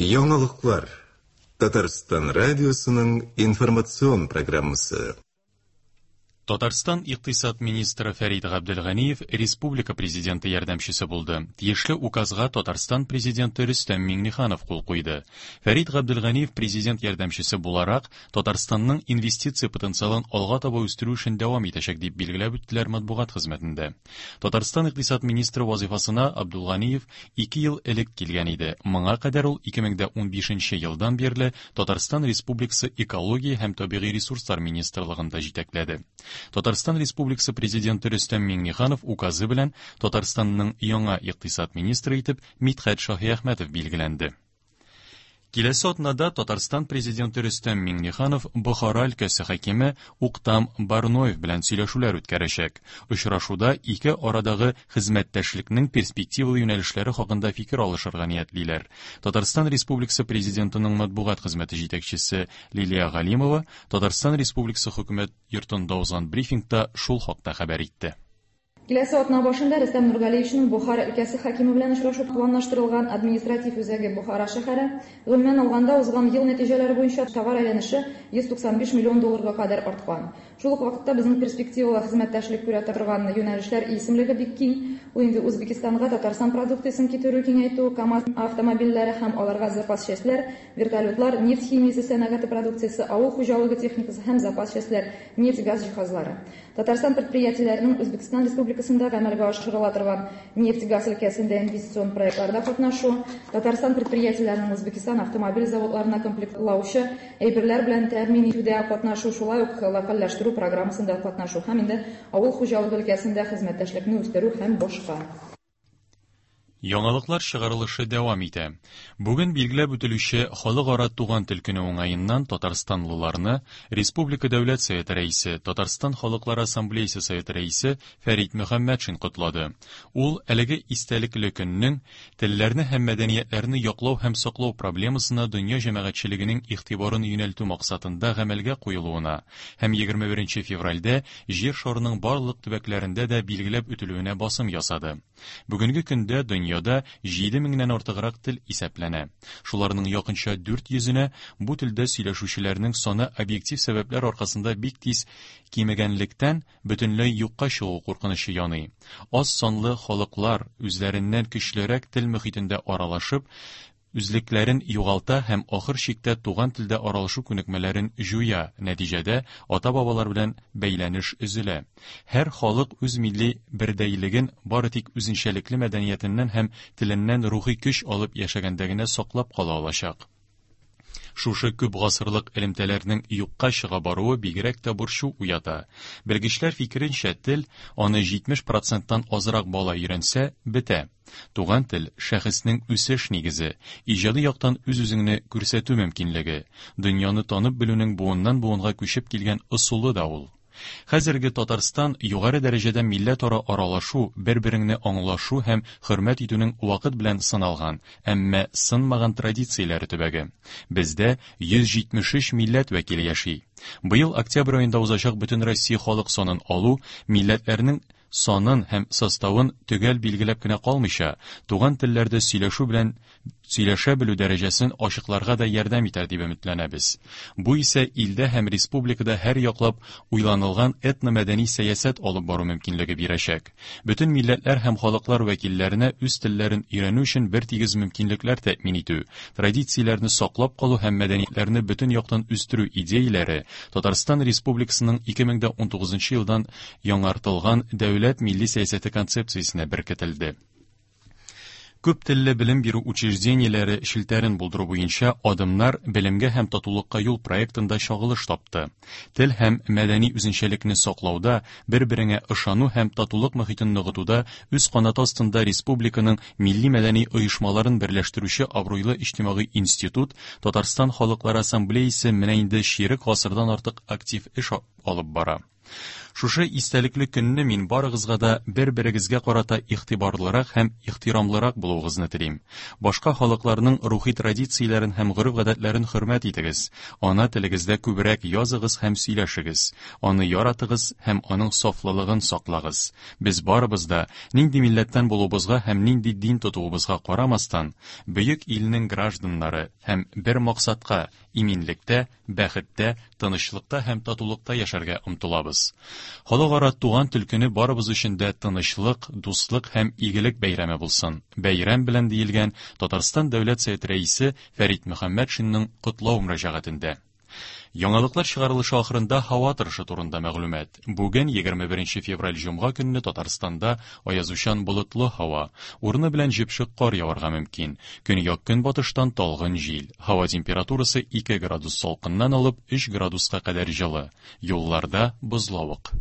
Яңалыклар. Татарстан радиосының информацион программасы. Татарстан икътисад министры Фәрит Габделганиев республика президенты ярдәмчесе булды. Тиешле указга Татарстан президенты Рөстәм Миңнеханов кул куйды. Фәрит Габделганиев президент ярдәмчесе буларак Татарстанның инвестиция потенциалын алга таба үстерү эшен дәвам итәчәк, дип билгеләп үттеләр матбугат хезмәтендә. Татарстан икътисад министры вазыйфасына Абдулганиев ике ел элек килгән иде. Моңа кадәр ул 2015 елдан бирле Татарстан Республикасы Экология һәм табигый ресурслар министрлыгын да җитәкләде. Татарстан Республикасы Президенты Рөстәм Миңнеханов указы белән Татарстанның яңа икътисад министры итеп Мидхәт Шаһиәхмәтов билгеләнде. Киләсе атнада Татарстан Президенты Рөстәм Миңнеханов Бохара өлкәсе хакиме Уктам Барноев белән сөйләшүләр үткәрәчәк. Очрашуда ике арадагы хезмәттәшлекнең перспективалы юнәлешләре хакында фикер алышырга ниятлиләр. Татарстан Республикасы Президентының матбугат хезмәте җитәкчесе Лилия Галимова Татарстан Республикасы Хөкүмәт йортында узган брифингта шул хакта хәбәр итте. Киләсе атна башында Рөстәм Нургалиевичның Бохара өлкәсе хакиме белән очрашу планлаштырылган, административ үзәге Бохара шәһәре. Гомумән алганда, узган ел нәтиҗәләре буенча товар әйләнеше 195 миллион долларга кадәр арткан. Шул ук вакытта безнең перспективалы хезмәттәшлек күрә торган юнәлешләр исемлеге бик киң. Ул инде Үзбәкистанга Татарстан продукциясен китерү киңәйтү, КАМАЗ автомобильләре һәм аларга запас частьләр, вертолетлар, нефть химиясе сәнәгате продукциясе, авыл хуҗалыгы техникасы һәм запас частьләр, нефть-газ җиһазлары. Татарстан предприятиеләренең Үзбәкстан Республикасында гамәлгә ашырыла торган нефть-газ өлкәсендә инвестицион проектларда катнашу, Татарстан предприятиеләренең Үзбәкстан автомобиль заводларына комплектлаучы әйберләр белән тәэмин итүдә катнашу, шулай ук локальләштерү программасында катнашу һәм инде авыл хуҗалыгы өлкәсендә хезмәттәшлекне үстерү һәм башка. Яңалыклар чыгарылышы дәвам итә. Бүген билгеләп үтелүче Халыкара туган тел көне уңаеннан татарстанлыларны Республика Дәүләт Советы Рәисе, Татарстан Халыклары Ассамблеясе Советы Рәисе Фәрит Мөхәммәтшин котлады. Ул әлеге истәлекле көннең телләрне һәм мәдәниятләрне яклау һәм саклау проблемасына дөнья җәмәгатьчелегенең игътибарын юнәлтү максатында гамәлгә куелуына һәм 21 февральдә Җир шарының барлык төбәкләрендә дә билгеләп үтелүенә басым ясады. Бүгенге көндә дөньяда 7 меңнән артыграк тел исәпләнә. Шуларның якынча 400-енә бу телдә сөйләшүчеләрнең саны объектив сәбәпләр аркасында бик тиз кимегәнлектән, бөтенләй юкка чыгу куркынычы яный. Аз санлы халыклар үзләреннән көчлерәк тел мохитендә аралашып, үзлекләрен югалта һәм ахыр чиктә туган телдә аралашу күнекмәләрен җуя, нәтиҗәдә ата-бабалар белән бәйләнеш өзелә. Һәр халык үз милли бердәйлеген бары тик үзенчәлекле мәдәниятеннән һәм теленнән рухи көч алып яшәгәндә генә саклап кала алачак. Шушы күп гасырлык элемтәләрнең юкка чыга баруы бигрәк тә борчу уята. Белгечләр фикеренчә, тел, аны 70 проценттан азрак бала өйрәнсә, бетә. Туган тел, шәхеснең үсеш нигезе, иҗади яктан үз-үзеңне күрсәтү мөмкинлеге, дөньяны танып белүнең буыннан-буынга күчеп килгән ысулы да ул. Хәзерге Татарстан югары дәрәҗәдә милләтара аралашу, бер-береңне аңлашу һәм хөрмәт итүнең вакыт белән сыналган, әмма сынмаган традицияләре төбәге. Бездә 173 милләт вәкиле яши. Быел октябрь аенда узачак Бөтенроссия халык санын алу милләтләрнең санын һәм составын төгәл билгеләп кенә калмыйча, туган телләрдә сөйләшү белән сөйләшә белү дәрәҗәсен ачыкларга да ярдәм итәр дип өметләнәбез. Бу исә илдә һәм республикада һәр яклап уйланылган этномәдәни сәясәт алып бару мөмкинлеге бирәчәк. Бөтен милләтләр һәм халыклар вәкилләренә үз телләрен өйрәнү өчен бертигез мөмкинлекләр тәэмин итү, традицияләрне саклап калу һәм мәдәниятләрне бөтен яктан үстерү идеяләре Татарстан Республикасының 2019 елдан яңартылган дәүләт милли сәясәте концепциясенә беркетелде. Күп телле белем бирү учреждениеләре челтәрен булдыру буенча адымнар Белемгә һәм татулыкка юл проектында чагылыш тапты. Тел һәм мәдәни үзенчәлекне саклауда, бер-береңә ышану һәм татулык мохитен ныгытуда үз канаты астында республиканың милли-мәдәни оешмаларын берләштерүче абруйлы иҗтимагый институт Татарстан Халыклар Ассамблеясе менә инде чирек гасырдан артык актив эш алып бара. Шушы истәлекле көнне мин барыгызга да бер-берегезгә карата игътибарлырак һәм ихтирамлырак булуыгызны телим. Башка халыкларның рухи традицияләрен һәм гореф-гадәтләрен хөрмәт итегез. Ана телегездә күбрәк языгыз һәм сөйләшегез. Аны яратыгыз һәм аның сафлылыгын саклагыз. Без барыбыз да, нинди милләттән булуыбызга һәм нинди дин тотуыбызга карамастан, бөек илнең гражданнары һәм бер максатка, иминлектә, бәхеттә, тынычлыкта һәм татулыкта яшәргә омтылабыз. Халыкара туган тел көне барыбыз өчен дә тынычлык, дуслык һәм игелек бәйрәме булсын. Бәйрәм белән диелгән Татарстан Дәүләт Советы Рәисе Фәрит Мөхәммәтшинның котлау мөрәҗәгатендә. Яңалыклар чыгарылышы ахырында һава торышы турында мәгълүмат. Бүген 21 февраль җомга көнне Татарстанда аязучан болытлы һава, урыны белән җепшек кар яварга мөмкин. Көньяк-көнбатыштан талгын җил. Һава температурасы 2 градус салкыннан алып 3 градуска кадәр җылы. Юлларда бозлавык.